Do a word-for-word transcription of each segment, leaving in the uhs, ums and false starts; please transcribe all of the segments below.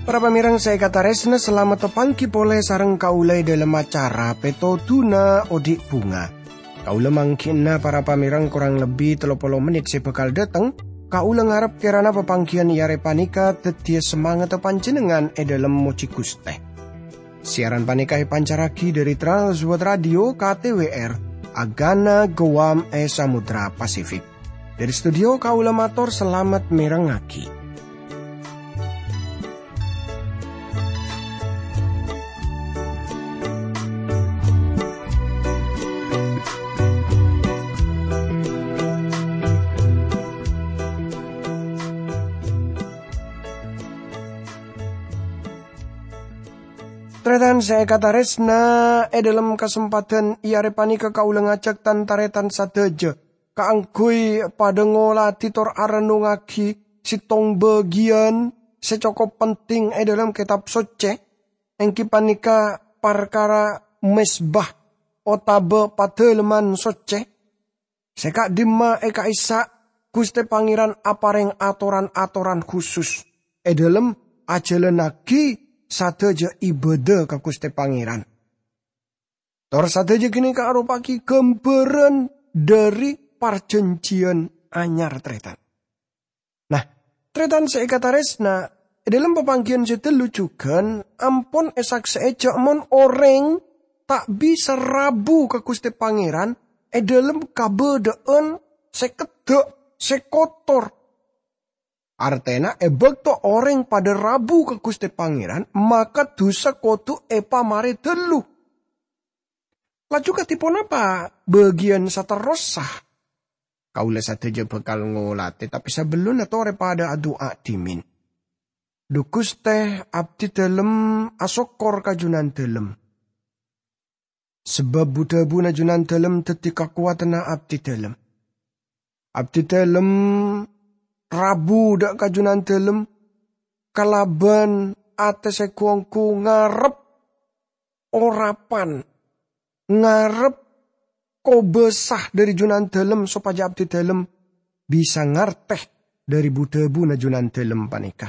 Para pamèrèng sè èkatarèsna, salamet tapangghi polè sareng kaulâ è dhâlem acara Pètodhuna Odi' Bhunga. Kaulâ mangghi'na para pamèrèng korang lebbi tello polo mennit sè bhâkal dhâteng. Kaulâ ngarep kèrana papangghiyân è arè panèka dhâddhiyâ samangatta panjhennengngan è dhâlem mojhi Ghustè. Siaran panèka èpancarraghi dhâri Trans World Radio K T W R, Agana Guam è Samudra Pasifik. Dhâri studio kaulâ mator salamet mèrengngaghi. Tarètan sè èkatarèsna, è dhâlem kasempadhân è arè panèka kaulâ ngajhâk tan-tarètan sadhâjâ kaangghuy padhâ ngolatè tor arennungngaghi sèttong bâgiyân sè cokop penting è dhâlem Kètab Soccè, èngghi panèka parkara mezbah otabâ Padâlemman Soccè. Sè ka'dimma è ka'issa' Ghustè Pangèran aparèng atoran-atoran khusus è dhâlem ajhâlânnaghi sadhâjâ ibâdâ ka Ghustè Pangèran. Tor sadhâjâ ghânèka aropa'aghi ghâmbhârân dhâri Parjhânjhiyân Anyar, tarètan. Nah, tarètan sè èkatarèsna, è dhâlem papangghiyân sè dâllu jhughân ampon èsaksè'è jhâ' mon orèng ta' bisa rabu ka Ghustè Pangèran è dhâlem kabâdâ'ân sè keddhâ', sè kotor. Artèna, è bâkto orèng padhâ rabu ka Ghustè Pangèran, maka dhusa kodhu èpamarè dâllu. Laju kadhi ponapa bâgiyân saterrossa? Kaulâ sadhâjâ bhâkal ngolatè, tapè sabellunna torè padhâ adu'a dhimèn. Dhu Ghustè, abdhi dhâlem asokkor ka Junandhâlem. Sabâb bu-dhâbuna Junandhâlem dhâddhi kakowadhânna abdhi dhâlem. Abdhi dhâlem rabu dâ' ka Junandhâlem kalabân atè sè ghu-ongghu ngarep orapan, ngarep kobâsa dhâri Junandhâlem sopajâ abdhi dhâlem bisa ngartè dhâri bu-dhâbuna Junandhâlem panèka.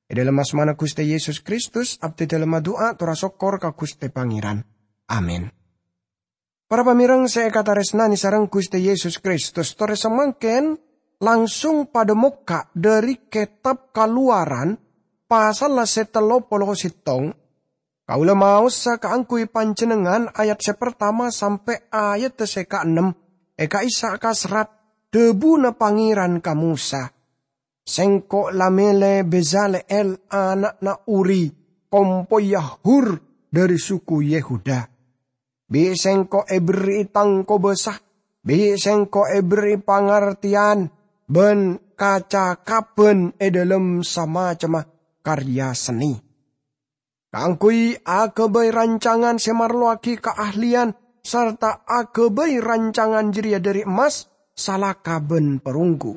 È dhâlem asmana Ghustè Yesus Kristus, abdhi dhâlem adu'a tor asokkor ka Ghustè Pangèran. Amin. Para pamèrèng sè èkatarèsnanè sareng Ghustè Yesus Kristus, torè samangkèn langsung padhâ mokka' dhâri Kètab Kalowaran, pasalla sè tello polo sèttong. Kaulâ maosa kaangghuy panjhennengngan ayat sè partama sampè' ayat sè kaennem, è ka'issa' kaserrat dhâbuna Pangèran ka Mosa. Sengko' la mèlè Bezaleel ana'na Uri, kompoyya Hur dhâri suku Yehuda. Bi' Sengko' èberri'i tang kobâsa, bi' Sengko' èberri'i pangartèyan bân kacakabhân è dhâlem samacemma karya sennè. Kaangghuy aghâbây rancangan sè marlowaghi kaahliyan sarta aghâbây rancangan jârèya dhâri emmas, salaka bân perunggu.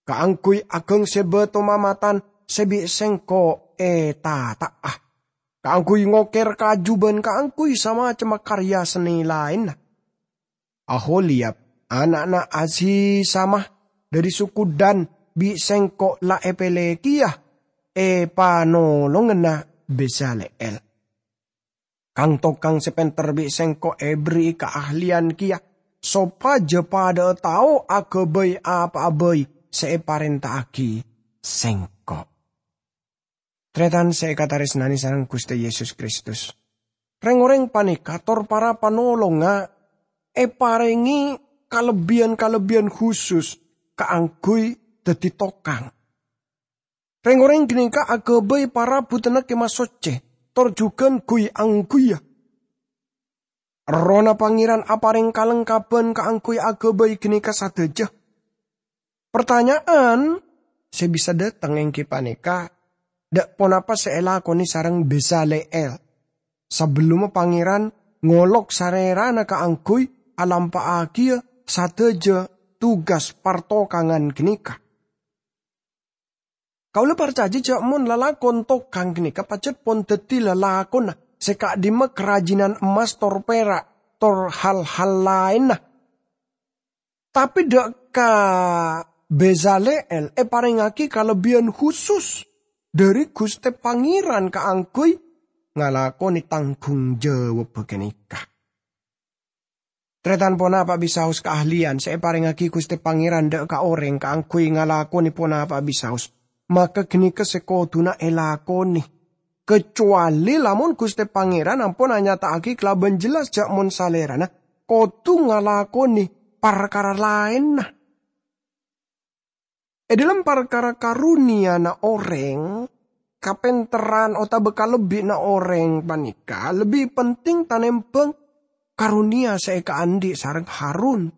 Kaangghuy aghâng sè bâto mamatan sè bi' Sengko' ètata'a. Kaangghuy ngokèr kaju bân kaangghuy samacemma karya sennè laènna. Aholiyab, ana'na Azisamah dhâri suku Dan, bi' Sengko' la èpèlè kèya èpanolongana Bezaleel. Kang-tokang sè pènter bi' Sengko' èberri'i kaahliyan kèya, sopajâ padhâ'â tao aghâbây apa'a bhâi sè èparènta'aghi Sengko'. Tarètan sè èkatarèsnanè sareng Ghustè Yesus Kristus, rèng-orèng panèka tor para panolongnga èparèngè kalebbiyân-kalebbiyân khusus kaangghuy dhâddhi tokang. Rèng-orèng ghânèka aghâbây parabuddhânna Kèma Soccè, tor jhughân ghuy-angghuyyâ. Errohna Pangèran aparèng kalengkabhân kaangghuy aghâbây ghânèka sadhâjâ. Partanya'an sè bisa dhâteng èngghi panèka, dâ' ponapa sè èlakonè sareng Bezaleel sabellunna Pangèran ngolok sarèrana kaangghuy alampa'aghiyâ sadhâjâ tugas partokangan ghânèka? Kaulâ parcajâ jhâ' mon lalakon tokang ghânèka pajhât pon dhâddhi lalakonna sè ka'dhimma karajinan emmas tor pera', tor hal-hal laènna. Tapè dâ' ka Bezaleel èparèngaghi kalebbiyân husus dhâri Ghustè Pangèran kaangghuy ngalakonè tanggung jawabbhâ ghânèka. Tarètan, ponapa bisaos kaahliyan sè èparèngaghi Ghustè Pangèran dâ' ka orèng kaangghuy ngalakonè ponapa bisaos, maka ghânèka sè kodhuna èlakonè. Kacowalè lamon Ghustè Pangèran ampon anyata'aghi kalabân jelas jhâ' mon Salèrana kodhu ngalakonè parkara laènna. È dhâlem parkara karuniyana orèng, kapènterran otabâ kalebbiyanna orèng panèka lebbi penting tanèmbhâng karuniya sè èkaandhi' sareng Harun.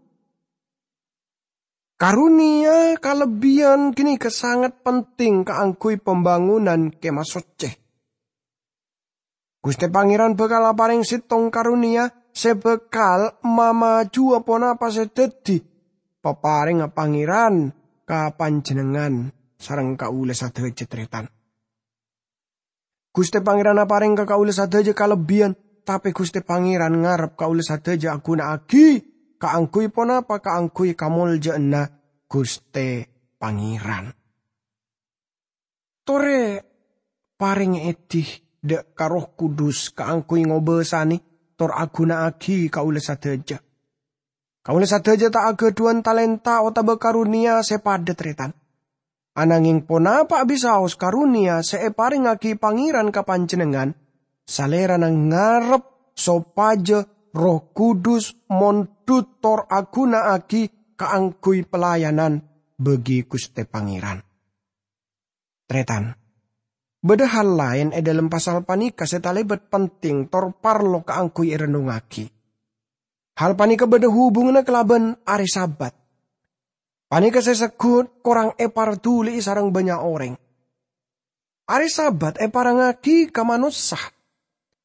Karuniya kalebbiyan ghânèka sanget penting kaangghuy pambângonan Kemah Soccè. Ghustè Pangèran bhâkal aparèng sèttong karuniya sè bhâkal mamajhuwâ ponapa sè dhâddhi paparèngnga Pangèran ka panjhennengngan sareng kaulâ sadhâjâ, tarètan. Ghustè Pangèran aparèng ka kaulâ sadhâjâ kalebbiyan, tapè Ghustè Pangèran ngarep kaulâ sadhâjâ aghuna'aghi kaangghuy ponapa? Kaangghuy kamoljâ'ânna Ghustè Pangèran. Torè parèngè èdhi dâ' ka Erroh Kudus kaangghuy ngobâsanè tor aghuna'aghi kaulâ sadhâjâ. Kaulâ sadhâjâ ta' aghâdhuwân talènta otabâ karuniya sè padâ, tarètan. Ananghing ponapa'a bisaos karuniya sè èparèngaghi Pangèran ka panjhennengngan, Salèrana ngarep sopajâ Erroh Kudus mondhut tor aghuna'aghi kaangghuy pelayanan bagi Ghustè Pangèran. Tarètan, bâdâ hal laèn è dhâlem pasal panèka sè talèbât penting tor parlo kaangghuy èrennongngaghi. Hal panèka bâdâ hubunganna kalabân arè Sabat. Panèka sè segghut korang èparduli'i sareng bânnya' orèng. Arè Sabat èparèngaghi ka manossa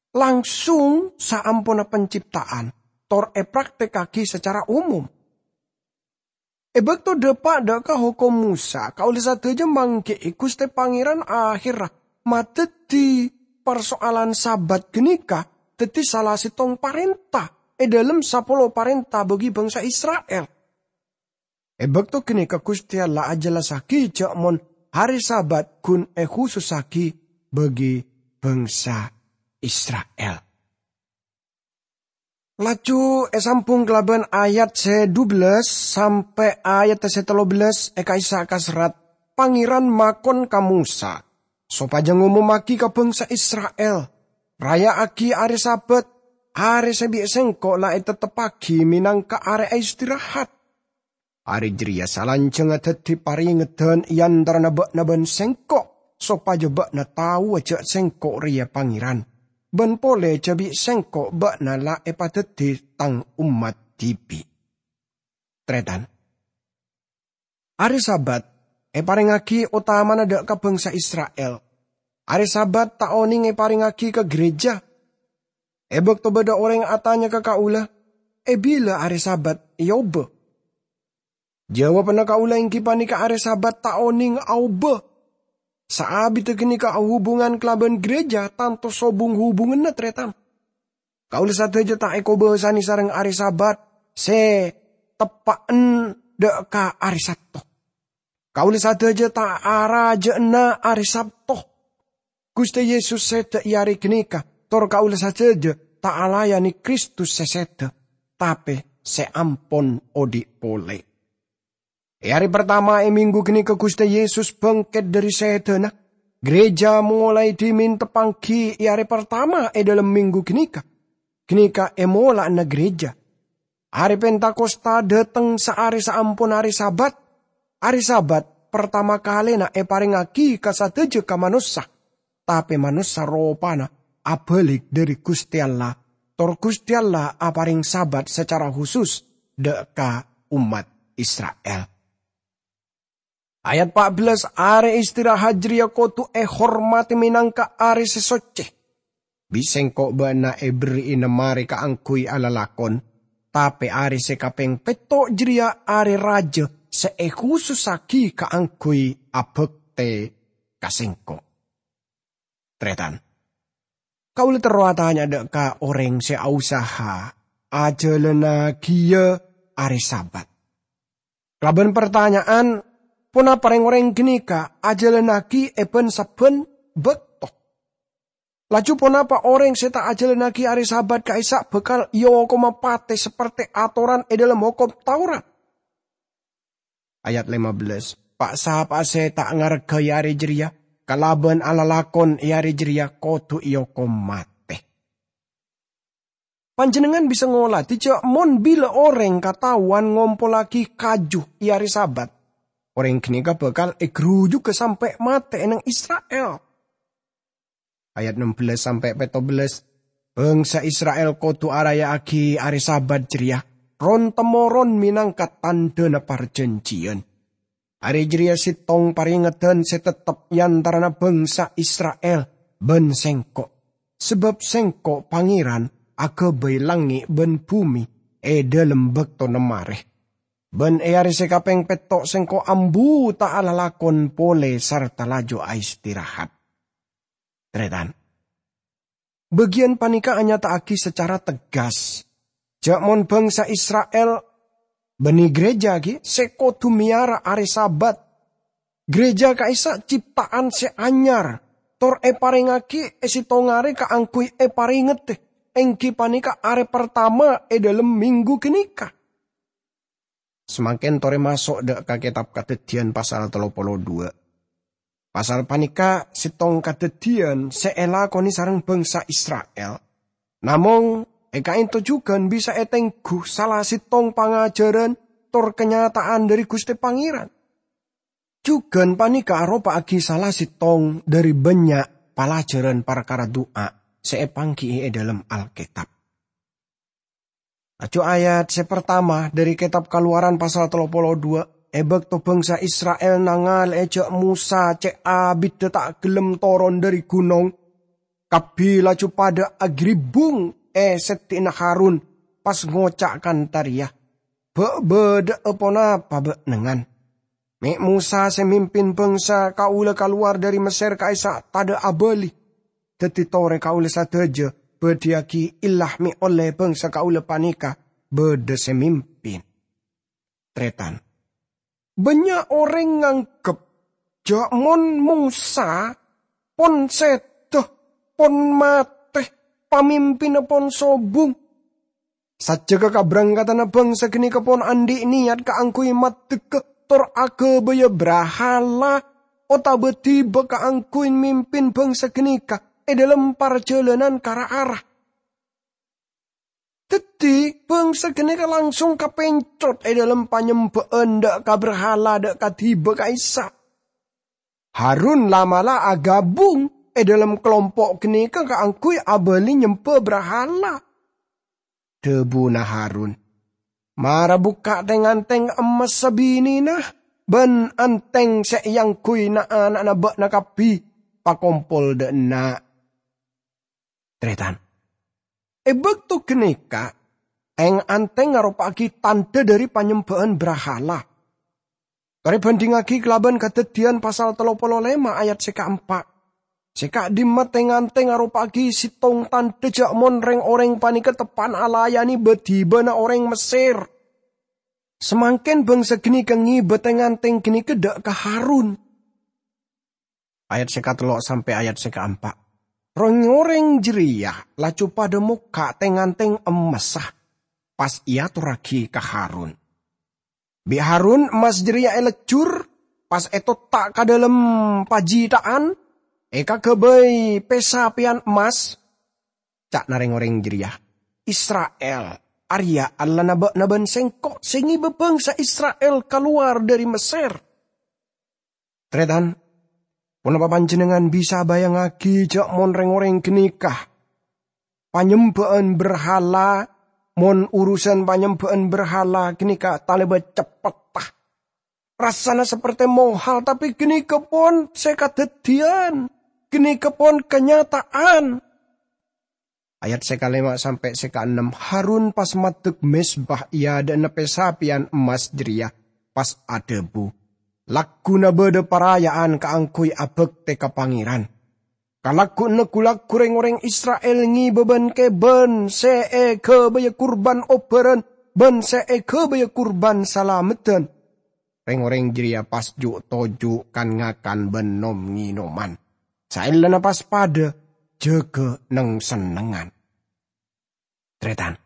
langsung saamponna pancipta'an, tor èpraktèkaghi sacara umum. È bâkto dâpa' dâ' ka Hokom Mosa, kaulâ sadhâjâ mangghi'i Ghustè Pangèran aherra madhâddhi parsoalan Sabat ghânèka dhâddhi sala sèttong parènta è dhâlem sapolo parènta bagi bangsa Isra'il. È bâkto ghânèka Ghustè Allah ajhellassaghi jhâ' mon arè Sabat ghun èkhusussaghi bagi bangsa Isra'il. Laju èsambhung kalabân ayat sè dubellâs sampè' ayat sè tello bellâs è ka'issa' kaserrat, Pangèran makon ka Mosa sopajâ ngomommaghi ka bangsa Isra'il, "Raya'aghi arè Sabat, arè sè bi' Sèngko' la ètetteppaghi mènangka arè aistirahat. Arè jârèya salanjhângnga dhâddhi parèngedhân è antarana bâ'na bân Sèngko', sopajâ bâ'na taowa jhâ' Sèngko' rèya Pangèran, bân polè jhâ' bi' Sèngko' bâ'na la èpadhâddhi Tang ommat dhibi'." Tarètan, arè Sabat èparèngaghi otamana dâ' ka bangsa Isra'il. Arè Sabat ta' onèng èparèngaghi ka ghârèjâ. È bâkto bâdâ orèng atanya ka kaulâ, "È bilâ arè Sabat èobâ?" Jawabanna kaulâ èngghi panèka arè Sabat ta' onèng aobâ. Saabidda ghânèka ahubungan kalabân ghârèjâ tanto sobung hubunganna, tarètan. Kaulâ sadhâjâ ta' èkobâsanè sareng arè Sabat sè teppa'en dâ' ka arè Sabto. Kaulâ sadhâjâ ta' arajâ'âna arè Sabto. Ghustè Yesus sèdhâ è arè ghânèka, tor kaulâ sadhâjâ ta' alayanè Kristus sè sèdhâ, tapè sè ampon odhi' polè. È arè partama è mènggu ghânèka Ghustè Yesus bângkèt dhâri sèdhâna. Ghârèjâ molaè dhimèn teppangghi è arè partama è dhâlem mènggu ghânèka. Ghânèka è mola'na ghârèjâ. Arè Pentakosta dâteng saarè saamponna arè Sabat. Arè Sabat partama kalèna èparèngaghi ka sadhâjâ ka manossa, tapè manossa ropana abâlik dhâri Ghustè Allah, tor Ghustè Allah aparèng Sabat sacara husus dâ' ka ommat Isra'il. Ayat pa' bellâs, "Arè istirahat jârèya kodhu èhormadhi mènangka arè sè soccè. Bi' Sèngko' bâ'na èberri'i nemmarè kaangghuy alalakon, tapè arè sè kapèng pètto' jârèya arè rajâ sè èkhusussaghi kaangghuy abhâktè ka Sèngko'." Tarètan, Kaulâ terro atanya dâ' ka orèng sè ausaha ajhâlânaghiyâ arè Sabat. Kalabân partanya'an, ponapa rèng-orèng ghânèka ajhâlânnaghi è bân-sabbhân bâkto? Laju ponapa orèng sè ta' ajhâlânnaghi arè Sabat ka'issa' bhâkal èokoma patè saperte atoran è dhâlem Hokom Taurat? Ayat lèma bellâs, "Pa'-sapa'a sè ta' ngarghâi arè jârèya kalabân alalakon è arè jârèya kodhu èokom matè." Panjhennengngan bisa ngolatè jâ' mon bilâ orèng kataowan ngompollaghi kaju è arè Sabat, orèng ghânèka bhâkal èghrujugghâ sampè' matè è neng Isra'il. Ayat ennem bellâs sampè' pètto bellâs, "Bângsa Isra'il kodhu araya'aghi arè Sabat jârèya ron-temmoron mènangka tandhâna parjhânjhiyân. Arè jârèya sèttong parèngeddhân sè teptep è antarana bângsa Isra'il bân Sèngko', sabâb Sèngko' Pangèran aghâbây langngè' bân bhumè è dhâlem bâktona marè. Bân è arè sè kapèng pètto' Sèngko' ambu ta' alalakon polè sarta laju aistirahat." Tarètan. Bâgiyân panèka anyata'aghi sacara tegas jâ' mon bângsa Isra'il bânnè ghârèjâ ghi' sè kodhu mèyara arè Sabat. Ghârèjâ ka'issa' cipta'an sè anyar, tor èparèngaghi è sèttong arè kaangghuy èparèngedhâ, èngghi panèka arè partama è dhâlem mènggu ghânèka. Samangkèn torè maso' dâ' ka Kètab Kadhâddhiyân pasal tello polo dua. Pasal panèka sèttong kadhâddhiyân sè èlakonè sareng bângsa Isra'il. Namong, è ka'ènto jhughân bisa ètengghu sala sèttong pangajhârân tor kanyata'an dhâri Ghustè Pangèran. Jhughân panèka aropa'aghi sala sèttong dhâri bânnya' palajhârân parkara du'a sè èpangghi'i è dhâlem Alkètab. Laju ayat sè partama dhâri Kètab Kalowaran pasal tello polo dua, è bâkto bângsa Isra'il nangalè'è jâ' Mosa cè' abiddhâ ta' ghellem toron dhâri ghunong, kabbhi laju padâ aghâribbung è sèddhi'na Harun, pas ngoca' kantha rèya, "Bâ' bâdâ'â ponapa bâ'na, ngan? Mè' Mosa sè mimpin bângsa kaulâ kalowar dhâri Messèr ka'issa' tadâ' abâli. Dhâddhi torè kaulâ sadhâjâ bâdhiyâghi ella mè' ollè bângsa kaulâ panèka bâdâ sè mimpin." Tarètan. Bânnya' orèng nganggep jâ' mon Mosa pon sèdhâ, pon matè, pamimpinna pon sobung. Sajjhegghâ kabrângkatanna bângsa ghânèka pon andi' niyat kaangghuy maddhegghâ tor aghâbâyâ brahala otabâ dhiba kaangghuy mimpin bângsa ghânèka è dhâlem parjhâlânan ka ra-ara. Dhâddhi, bângsa ghânèka langsung kapèncot è dhâlem panyembhâ'ân dâ' ka brahala dâ' kadiba ka'issa'. Harun la'-mala' aghâbung è dhâlem kalompo' ghânèka kaangghuy abâli nyembhâ brahala. Dhâbuna Harun, "Mara bukka' tèng-antèng emmas sabinèna bân antèng sè èangghuy na'-ana'na bâ'na kabbhi, pakompol dâ' enna'." Tarètan. È bâkto ghânèka, tèng-antèng aropa'aghi tandhâ dhâri panyembhâ'ân brahala. Torè bhândhingngaghi kalabân Kadhâddhiyân pasal tello polo lèma' ayat sè kaempa'. Sè ka'dimma tèng-antèng aropa'aghi sèttong tandhâ jâ' mon rèng-orèng panèka teppa'na alayanè bâ-dhibâna orèng Messèr. Samangkèn bângsa ghânèka ngibâ tèng-antèng ghânèka dâ' ka Harun. Ayat sè katello' sampè' ayat sè kaempa'. Rèng-orèng jârèya laju padâ mokka' tèng-antèng emmassa, pas èatorraghi ka Harun. Bi' Harun emmas jârèya èlejjhur, pas ètotta' ka dhâlem pajhita'an, èkaghâbây pèsapèyan emmas. Ca'na rèng-orèng jârèya, "Isra'il arèya Allana bâ'na bân sèngko' sè ngibâ bângsa Isra'il kalowar dhâri Messèr." Tarètan, ponapa panjhennengngan bisa abayangngaghi jâ' mon rèng-orèng ghânèka panyembhâ'ân brahala, mon urusan panyembhâ'ân brahala ghânèka talèbât ceppetta? Rassana saperte mohal, tapè ghânèka pon sè kadhâddhiyân, ghânèka pon kanyata'an. Ayat sè kalèma sampè' sè kaennem, Harun pas maddhek mezbah è adâ'na pèsapèyan emmas jârèya, pas adhâbu, "Lagghuna bâdâ paraya'an kaangghuy abhâktè ka Pangèran." Kalagguwanna gu-lagghu reng-oreng Isra'il ngibâ bân-kèbân sè èghâbâyâ kurban obhârân bân sè èghâbâyâ kurban salameddhân. Reng-oreng jârèya pas ju'-toju' kan-ngakan bân nom-ngènoman. Saellana pas padâ jâgâ neng-sennengngan. Tarètan.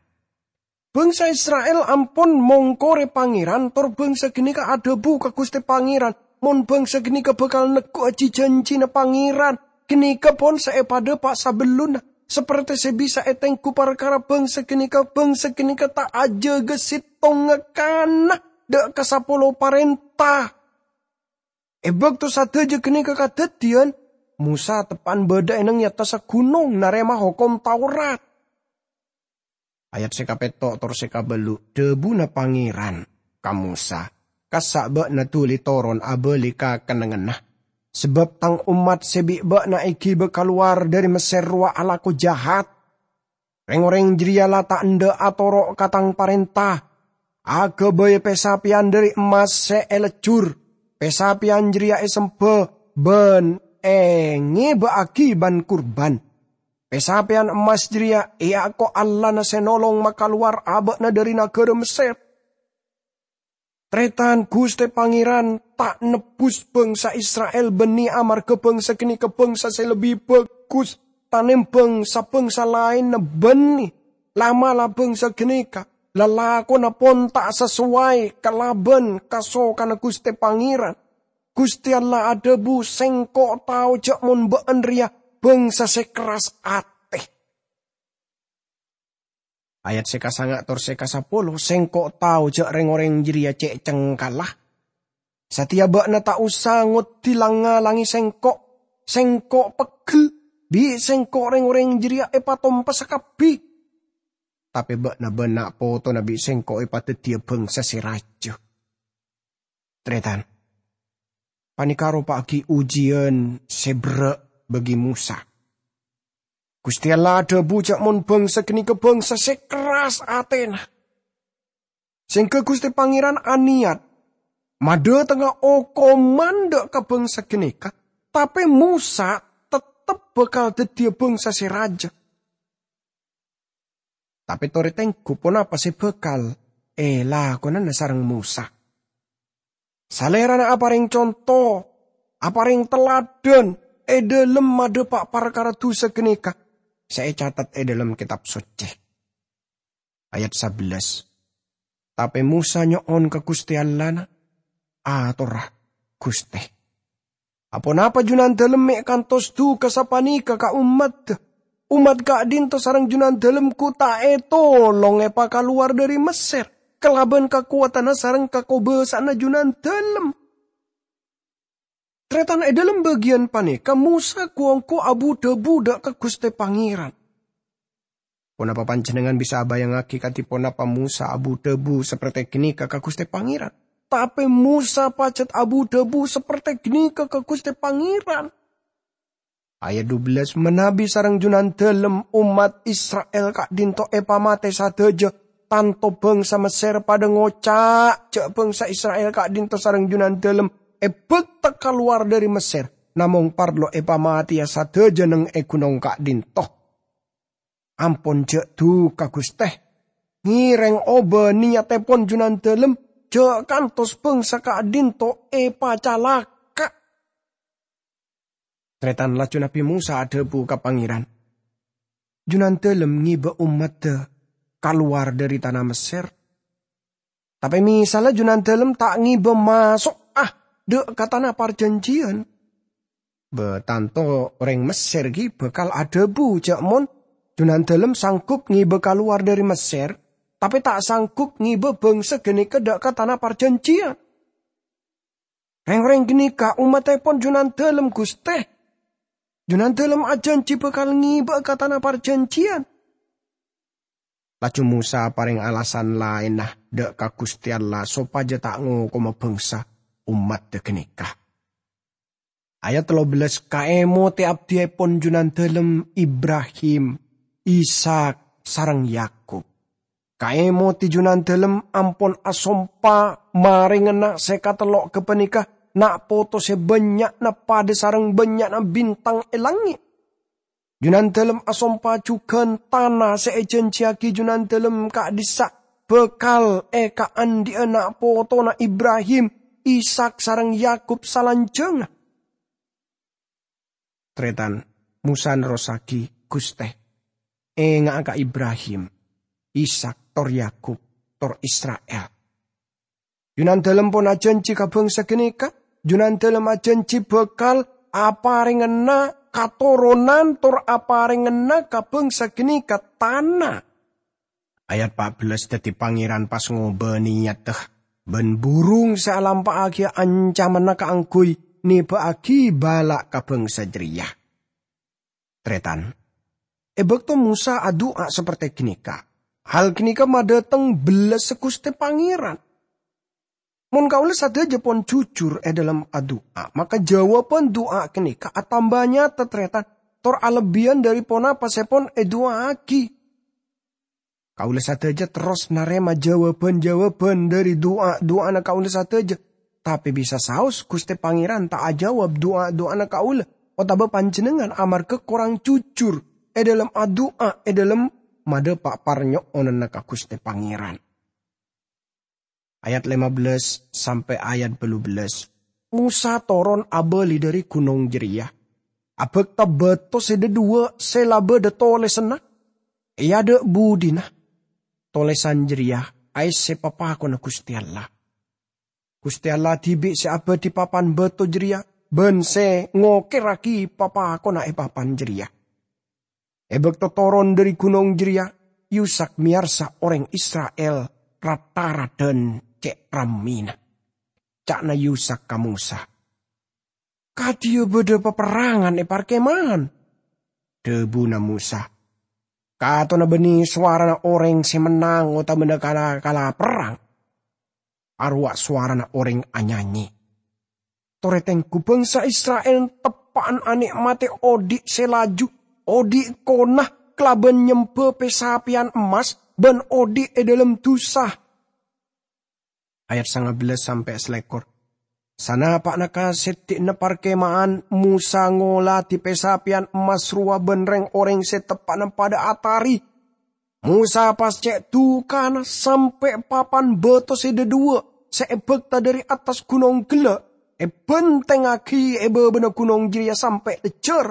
Bângsa Isra'il ampon mongkorè Pangèran, tor bângsa ghânèka adhâbu ka Ghustè Pangèran, "Mon bângsa ghânèka bhâkal negghu'âghi jhânjhina Pangèran, ghânèka pon sè èpadhâpa' sabellunna, saperte sè bisa ètengghu parkara bângsa ghânèka, bângsa ghânèka ta' ajâgâ sèttongnga kana dâ' ka sapolo parènta." È bâkto sadhâjâ ghânèka kadhâddhiyân, Mosa teppa'na bâdâ è neng è attassa ghunong narèma Hokom Taurat. Ayat sè kapètto' tor sè kabâllu', dhâbuna Pangèran ka Mosa, "Kassa' bâ'na dhuli toron abâli ka kennengnganna, sabâb tang ommat sè bi' bâ'na èghibâ kalowar dhâri Messèr rowa alako jahat. Reng-oreng jârèya la ta' endâ' atoro' ka tang parènta, aghâbây pè-sapèyan dhâri emmas sè èlejjhur. Pè-sapèyan jârèya èsembhâ bân èngèbâ'âghi bân-kurban. Pè-sapèyan emmas jârèya èako Allahna sè nolong makalowar abâ'na dhâri naghârâ Messèr." Tarètan, Ghustè Pangèran ta' nebbhus bângsa Isra'il bânnè amarghâ bângsa ghânèka bângsa sè lebbi bhâghus tanèmbhâng sa-bângsa laènna bânnè. La'-mala' bângsa ghânèka lalakonna pon ta' sasowai kalabân kasokanna Ghustè Pangèran. Ghustè Allah adhâbu, "Sèngko' tao jâ' mon bâ'na rèya bângsa sè kerras atè." Ayat sè kasanga' tor sè kasapolo, "Sèngko' tao jâ' reng-oreng jârèya cè' cengkalla. Satèya bâ'na ta' osa ngoddi lang-ngalangè Sèngko'. Sèngko' peggel, bi' Sèngko' reng-oreng jârèya èpatompessa kabbhi. Tapè bâ'na bân na' potona bi' Sèngko' èpadhâddhiyâ bângsa sè rajâ." Tarètan, panèka aropa'aghi ojiyân sè berrâ' bagi Mosa. Ghustè Allah adhâbu jâ' mon bângsa ghânèka bângsa sè kerras atèna. Sèngghâ Ghustè Pangèran anèyat madhâtengnga okoman dâ' ka bângsa ghânèka, tapè Mosa tettep bhâkal dhâddhiyâ bângsa sè rajâ. Tapè torè tengghu ponapa sè bhâkal èlakonana sareng Mosa. Salèrana aparèng conto, aparèng taladhân è dhâlem madhâpa' parkara dhusa ghânèka sè ècatet è dhâlem Kètab Soccè. Ayat sabellâs. Tapè Mosa nyo'on ka Ghustè Allahna, "Atorra, Ghustè. Aponapa Junandalem mè' kantos duka sapanèka ka ommadda? Ommat ka'dhinto sareng Junandalem ghu ta' ètolong èpakalowar dhâri Messèr kalabân kakowadhânna sareng kakobâsa'anna Junandalem." Tarètan è dhâlem bâgiyân panèka, Mosa ghu-ongghu abu-dhâbu dâ' ka Ghustè Pangèran. Ponapa panjhennengngan bisa abayangngaghi kadhi ponapa Mosa abu-dhâbu saperte ghânèka ka Ghustè Pangèran? Tapè Mosa pajhât abu-dhâbu saperte ghânèka ka Ghustè Pangèran. Ayat dubellâs, "Manabi sareng Junandalem ommat Isra'il ka'dhinto èpamatè sadhâjâ, tanto bângsa Messèr padâ ngoca' jâ' bângsa Isra'il ka'dhinto sareng Junandalem èbhâkta kalowar dhâri Messèr, namong parlo èpamatèya sadhâjâ neng è ghunong ka'dhinto. Ampon jâ' duka, Ghustè. Ngèrèng obâ niyattèpon Junandalem, jâ' kantos bângsa ka'dhinto èpacalaka'." Tarètan laju Nabbhi Mosa adhâbu ka Pangèran, "Junandalem ngibâ ommadda kalowar dhâri tana Messèr. Tapè mèsalla Junandalem ta' ngibâ maso'a dâ' ka tana parjhânjhiyân. Bâ tanto orèng Messèr ghi bhâkal adhâbu jâ' mon Junandalem sanggup ngibâ kalowar dhâri Messèr, tapè ta' sanggup ngibâ bângsa ghânèka dâ' ka tana parjhânjhiyân. Rèng-orèng ghânèka ommattèpon Junandalem, Ghustè. Junandalem ajhânjhi bhâkal ngibâ'â ka tana parjhânjhiyân." Laju Mosa aparèng alasan laènna dâ' ka Ghustè Allah sopajâ ta' ngokoma bângsa ommadda ghânèka. Ayat tello bellâs, "Kaèmotè abdhiyèpon Junandalem Ibrahim, Ishak, sareng Yakub. Kaèmotè Junandalem ampon asompa marèngana sè katello' ghâpanèka na' poto sè bânnya'na padâ sareng bânnya'na bintang è langngè'. Junandalem asompa jugan tana se ejanjiyagi Junandalem ka'dhissa' bakal ekaandhi'a na' potona Ibrahim, Ishak sareng Yakub salanjangnga. Taretan, Mosa nerrossagi, "Guste, enga'a ka Ibrahim, Ishak, tor Yakub, tor Isra'il." Junandalem pon ajanji ka bangsa ganeka, Junandalem ajanji bakal aparengngana katoronan tor aparengngana ka bangsa ganeka tana. Ayat pa' bellas daddi Pangeran pas ngoba niyatta, ban burung se alampa'agiya ancamanna kaangguy neba'agi bala' ka bangsa jareya. Taretan, e bakto Mosa adu'a saperte ganeka, hal ganeka madhateng bellassa Guste Pangeran. Mon kaula sadaja pon jujur e dhalem adu'a, maka jawaban du'a ganeka atamba nyata, taretan, tor alebbiyyan dhari ponapa se pon edu'aagi. Kaula sadaja terros narema jawaban-jawaban dhari du'a-du'ana kaula sadaja, tape bisa saos Guste Pangeran ta' ajawab du'a-du'ana kaula, otaba panjennengngan amarga korang jujur e dhalem adu'a, e dhalem madhapa' parnyo'onanna ka Guste Pangeran. Ayat lima belas sampe' ayat bâllu bellas. Mosa toron abali dhari gunong jareya. Abakta bato se dhadhuwa' se la badha tolesanna e adha' budina. Tolesan jareya aesse papakonna Guste Allah. Guste Allah dibi' se abadhi papan bato jareya ban se ngokerragi papakonna e papan jareya. E bakto toron dhari gunong jareya, Yusak meyarsa oreng Isra'il rat-taradan ce' rammina. Ca'na Yusak ka Mosa, "Kadhiya badha paperrangan e parkemahan." Dhabuna Mosa, "Katona bânnè sowarana orèng sè mennang otabâna kala-kala perrang. Arowa sowarana orèng anyanyi. Torè tengghu bhângsa Isra'il teppa'na anè'matè odi' sè laju, odi' kona kalabân nyembhâ pè-sapèyan emmas bân odi' è dhâlem dhusa." Ayat sanga bellâs sampè' salèkor. Sanapa'na ka seddi'na parkema'an, Mosa ngoladhi pè-sapèyan emmas rowa bân rèng-orèng sè teppa'na padâ atarè. Mosa pas cè' dhukana sampè' papan bâto sè dhâdhuwâ' sè èbhâkta dhâri attas ghunong ghellâ', èbhântèngngaghi è bâbâna ghunong jârèya sampè' lejjhâr.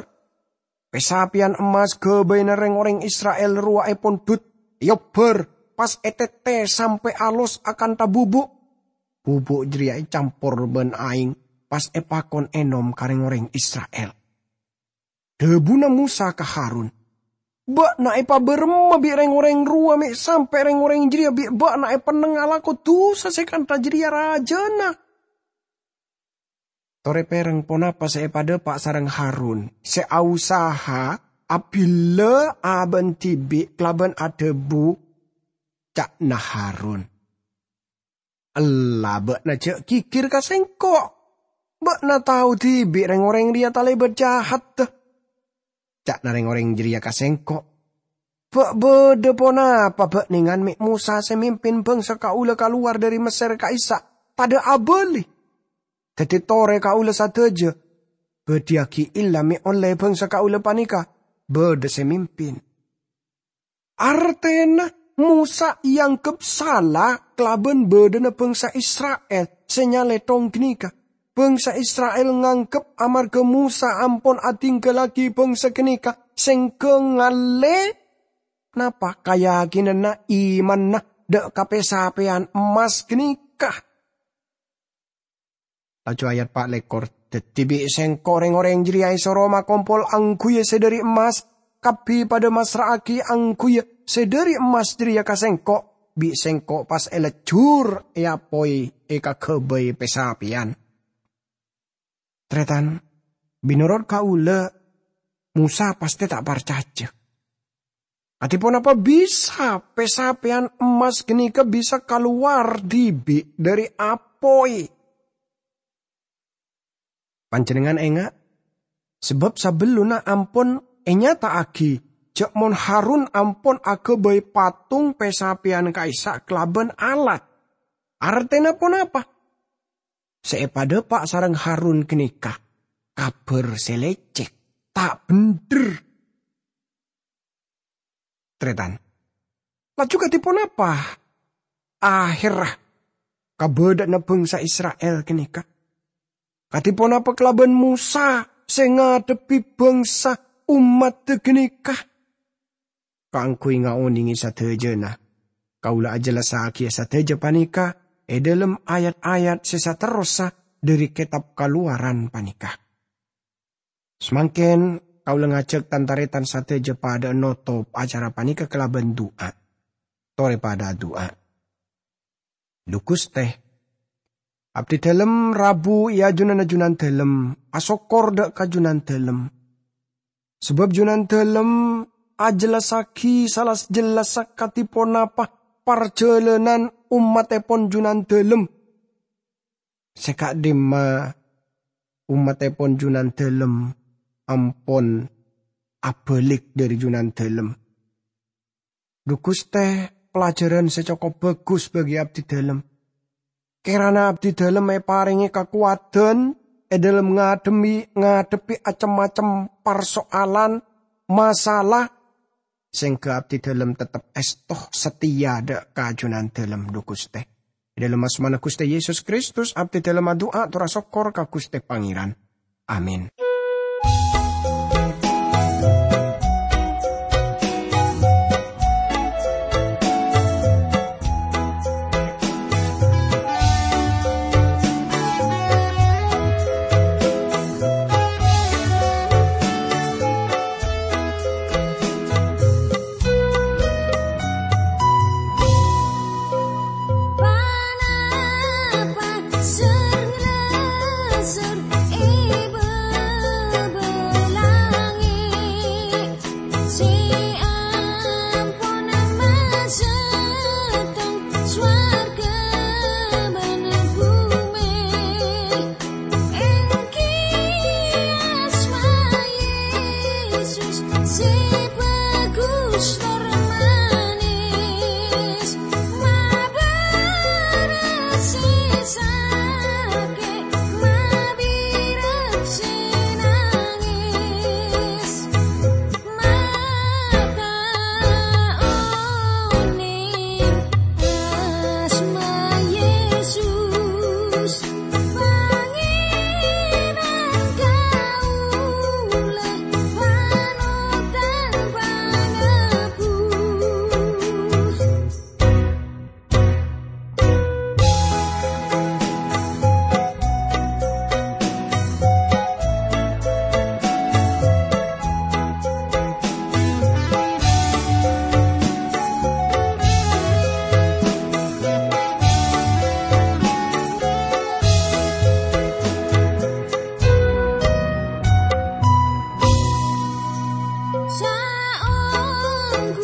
Pè-sapèyan emmas ghâbâyna rèng-orèng Isra'il rowa èpondhut, èobbhâr, pas ètètè sampè' alos akanta bubuk. Bubuk jârèya ècampor bân aèng, pas èpakon ènom ka rèng-orèng Isra'il. Dhâbuna Mosa ka Harun, "Bâ'na èpabârâmma bi' rèng-orèng rowa mè' sampè' rèng-orèng jârèya bi' bâ'na èpenneng alako dhusa sè kantha jârèya rajâna?" Torè pèrèng ponapa sè èpadâpa' sareng Harun, sè aosaha abhilâ abâ'na dhibi' kalabân adhâbu, ca'na Harun. "Ella bâ'na jhâ' ghighir ka sèngko'. Bâ'na tao dhibi' rèng-orèng rèya talèbât jahatta." Ca'na rèng-orèng jârèya ka sèngko', "Bâ' bâdâ ponapa bâ'nèngan mè' Mosa sè mimpin bhângsa kaulâ kalowar dhâri Messèr ka'issa' tadâ' abâli? Dhâddhi torè kaulâ sadhâjâ bâdhiyâghi ella mè' ollè bhângsa kaulâ panèka bâdâ sè mimpin." Artèna, Mosa èangghep sala kalabân bâdâna bhângsa Isra'il sè nyalèthong ghânèka. Bhângsa Isra'il nganggep amarghâ Mosa ampon adhingghâllaghi bhângsa ghânèka sèngghâ ngallè napa kayakinanna imanna dâ' ka pè-sapèyan emmas ghânèka. Laju ayat pa' lèkor, "Dhâddhi bi' sèngko' rèng-orèng jârèya èsoro makompol angghuyyâ sè dhâri emmas, kabbhi padâ massra'aghi angghuyyâ sè dhâri emmas jârèya ka sèngko', bi' sèngko' pas èlejjhur èapoy èkaghâbây pè-sapèyan." Tarètan, mènorot kaulâ, Mosa pastè ta' parcajâ. Kadhi ponapa bisa pè-sapèyan emmas ghânèka bisa kalowar dhibi' dhâri apoy? Panjhennengngan enga', sabâb sabellunna ampon ènyata'aghi jhâ' mon Harun ampon aghâbây patung pè-sapèyan ka'issa' kalabân alat. Artèna ponapa? Sè èpadâpa' sareng Harun ghânèka kabhâr sè lècèk, ta' bhendher. Tarètan. Laju kadhi ponapa ahèrra kabâḍâ'ânna bhângsa Isra'il ghânèka? Kadhi ponapa kalabân Mosa sè ngaḍhebbhi bhângsa ommaddhâ ghânèka? Kaangghuy ngaonèngè sadhâjâna, kaulâ ajhellassaghiyâ sadhâjâ panèka è ḍâlem ayat-ayat sè saterrossa ḍâri kètab Kalowaran panèka. Samangkèn kaulâ ngajhâk tan-tarètan sadhâjâ paḍâ'â notop acara panèka kalabân du'a. Torè paḍâ adu'a. Ḍu Ghustè, abdhi ḍâlem rabu è ajunanna Junandhâlem, asokkor ḍâ' ka Junandhâlem. Sabâb Junandhâlem ajhellassaghi sala jellassa kadhi ponapa parjhâlânan ommattèpon Junandhâlem. Sè ka'ḍimma ommattèpon Junandhâlem ampon abâlik ḍâri Junandhâlem. Ḍu Ghustè, pelajaran sè cokop bhâghus bagi abdhi ḍâlem. Kèrana abdhi ḍâlem èparèngè kakowadhân è ḍâlem ngaḍhemmi-, ngaḍhebbhi cem-macem parsoalan, masalah, sehingga abdhi ḍâlem teptep èsto satèya ḍâ' ka Junandhâlem, Ḍu Ghustè. È ḍâlem asmana Ghustè Yesus Kristus, abdhi ḍâlem adu'a tor asokkor ka Ghustè Pangèran. Amin. Ponapa ser-nglaser è bâbâ langngè' sè ampon masettong sowarghâ bân bhumè? Èngghi asma Yesus sè bhâghus tor manès, maberrâs sè sakè', mabirâk sè nangès. Mata onèng asma Yesus, Pangèran kaulâ, panotan panebus. Saongghuna